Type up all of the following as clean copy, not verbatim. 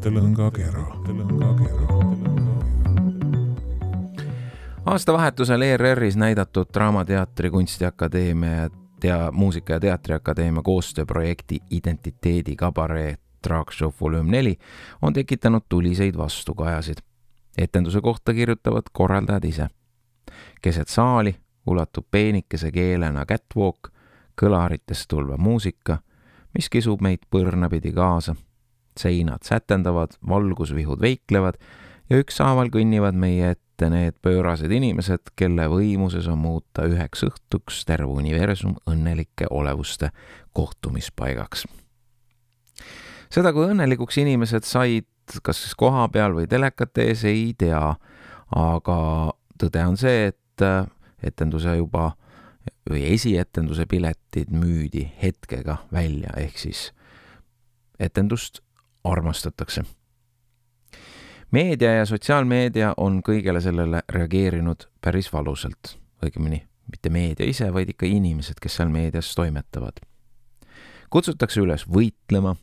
mõttelõngakera. Aastavahetusel ERR-is näidatud Draamateatri Kunstiakadeemia ja Muusika- ja Teatriakadeemia koostööprojekti Identiteedi kabaree Drag Show Volume 4 on tekitanud tuliseid vastukajasid. Etenduse kohta kirjutavad korraldajad ise. Keset saali ulatub peenikese keelena catwalk, kõlaritest tulva muusika, mis kisub meid põrnapidi kaasa. Seinad sätendavad, valgusvihud veiklevad ja ükshaaval kõnnivad meie ette need pöörased inimesed, kelle võimuses on muuta üheks õhtuks terve universum õnnelike olevuste kohtumispaigaks. Seda, kui õnnelikuks inimesed said kas siis koha peal või telekate ees, ei tea, aga tõde on see, et etenduse juba või esietenduse piletid müüdi hetkega välja, ehk siis etendust armastatakse. Meedia ja sotsiaalmeedia on kõigele sellele reageerinud päris valusalt, õigemini mitte meedia ise, vaid ikka inimesed, kes seal meedias toimetavad. Kutsutakse üles võitlema,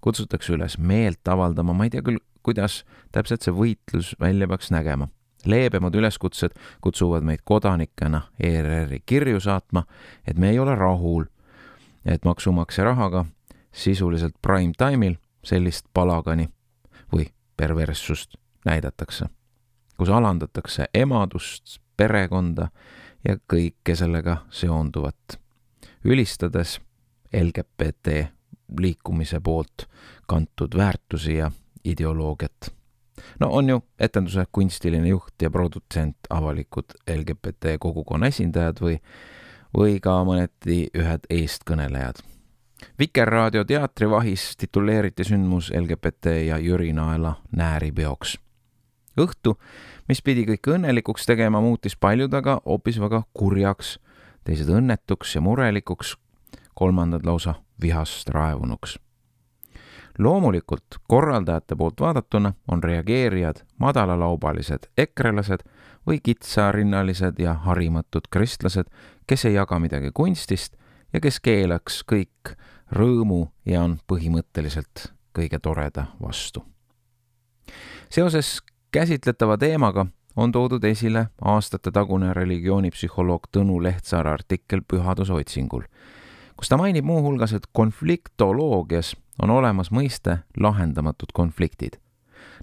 kutsutakse üles meelt avaldama, ma ei tea küll, kuidas täpselt see võitlus välja peaks nägema. Leebemad üleskutsed kutsuvad meid kodanikena ERR-i kirju saatma, et me ei ole rahul, et maksumaksja rahaga sisuliselt prime time'il sellist palagani või perverssust näidatakse, kus alandatakse emadust, perekonda ja kõike sellega seonduvat, ülistades LGBT liikumise poolt kantud väärtusi ja ideoloogiat. No on ju etenduse kunstiline juht ja produtsent avalikud LGBT kogukonna esindajad või ka mõneti ühed eestkõnelejad. Vikerraadio teatrivahis tituleeriti sündmus LGBT ja Jüri Naela nääripeoks. Õhtu, mis pidi kõik õnnelikuks tegema, muutis paljud aga hoopis väga kurjaks, teised õnnetuks ja murelikuks, kolmandad lausa vihast raevunuks. Loomulikult korraldajate poolt vaadatuna on reageerijad madalalaubalised ekrelased või kitsarinnalised ja harimatud kristlased, kes ei jaga midagi kunstist ja kes keelaks kõik rõõmu ja on põhimõtteliselt kõige toreda vastu. Seoses käsitletava teemaga on toodud esile aastate tagune religioonipsühholoog Tõnu Lehtsaare artikkel Pühaduse otsingul, kus ta mainib muuhulgas, et konfliktoloogias on olemas mõiste lahendamatud konfliktid.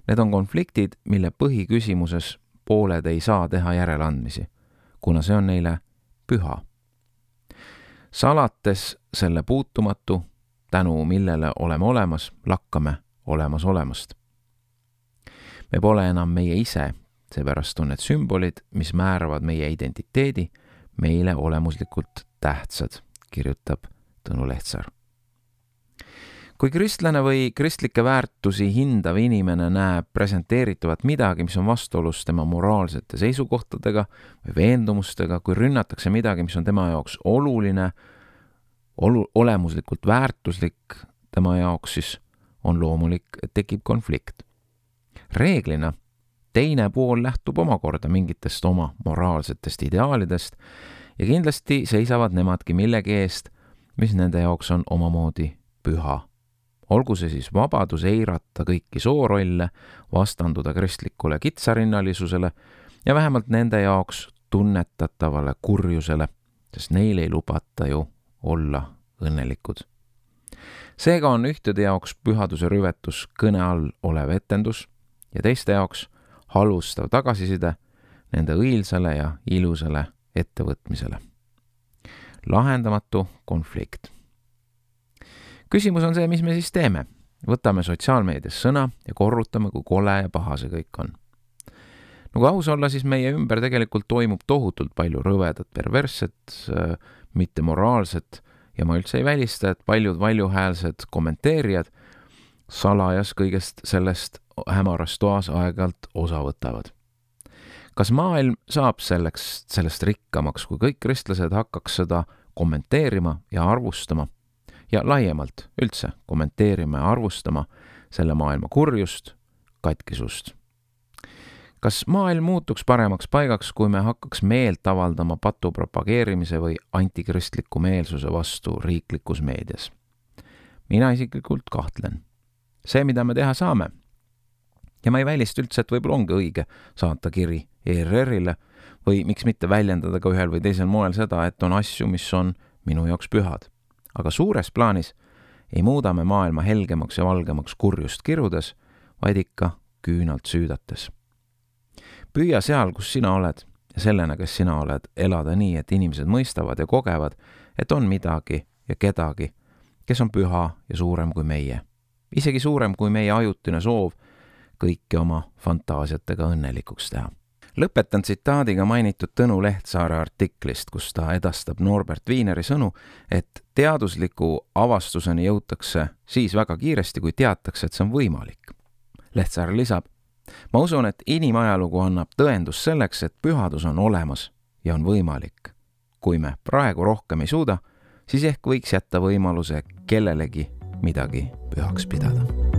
Need on konfliktid, mille põhiküsimuses pooled ei saa teha järeleandmisi, kuna see on neile püha. Salates selle puutumatu, tänu millele oleme olemas, lakkame olemas olemast. Me pole enam meie ise, seepärast on need sümbolid, mis määravad meie identiteedi, meile olemuslikult tähtsad, kirjutab Tõnu Lehtsaar. Kui kristlane või kristlikke väärtusi hindav inimene näeb presenteeritavat midagi, mis on vastuolus tema moraalsete seisukohtadega või veendumustega, kui rünnatakse midagi, mis on tema jaoks oluline, olemuslikult väärtuslik tema jaoks, siis on loomulik, et tekib konflikt. Reeglina teine pool lähtub omakorda mingitest oma moraalsetest ideaalidest ja kindlasti seisavad nemadki millegi eest, mis nende jaoks on omamoodi püha. Olgu see siis vabadus eirata kõiki soorolle, vastanduda kristlikule kitsarinnalisusele ja vähemalt nende jaoks tunnetatavale kurjusele, sest neil ei lubata ju olla õnnelikud. Seega on ühtede jaoks pühaduse rüvetus kõne all olev etendus ja teiste jaoks halvustav tagasiside nende õilsale ja ilusale ettevõtmisele. Lahendamatu konflikt. Küsimus on see, mis me siis teeme. Võtame sotsiaalmeedias sõna ja korrutame, kui kole ja paha see kõik on. No kui aus olla, siis meie ümber tegelikult toimub tohutult palju rõvedat, perversset, mittemoraalset ja ma üldse ei välista, et paljud valjuhäälsed kommenteerijad salajas kõigest sellest hämaras toas aeg-ajalt osa võtavad. Kas maailm saab sellest rikkamaks, kui kõik kristlased hakkaks seda kommenteerima ja arvustama ja laiemalt üldse kommenteerima ja arvustama selle maailma kurjust, katkisust? Kas maailm muutuks paremaks paigaks, kui me hakkaks meelt avaldama patu propageerimise või antikristliku meelsuse vastu riiklikus meedias? Mina isiklikult kahtlen. See, mida me teha saame, Ja ma ei välista üldse, et võib-olla ongi õige saata kiri ERR-ile või miks mitte väljendada ka ühel või teisel moel seda, et on asju, mis on minu jaoks pühad. Aga suures plaanis ei muuda me maailma helgemaks ja valgemaks kurjust kirudes, vaid ikka küünalt süüdates. Püüa seal, kus sina oled ja sellena, kes sina oled, elada nii, et inimesed mõistavad ja kogevad, et on midagi ja kedagi, kes on püha ja suurem kui meie. Isegi suurem kui meie ajutine soov kõiki oma fantaasiatega õnnelikuks teha. Lõpetan tsitaadiga mainitud Tõnu Lehtsaare artiklist, kus ta edastab Norbert Wieneri sõnu, et teadusliku avastuseni jõutakse siis väga kiiresti, kui teatakse, et see on võimalik. Lehtsaar lisab, ma usun, et inimajalugu annab tõendus selleks, et pühadus on olemas ja on võimalik. Kui me praegu rohkem ei suuda, siis ehk võiks jätta võimaluse kellelegi midagi pühaks pidada.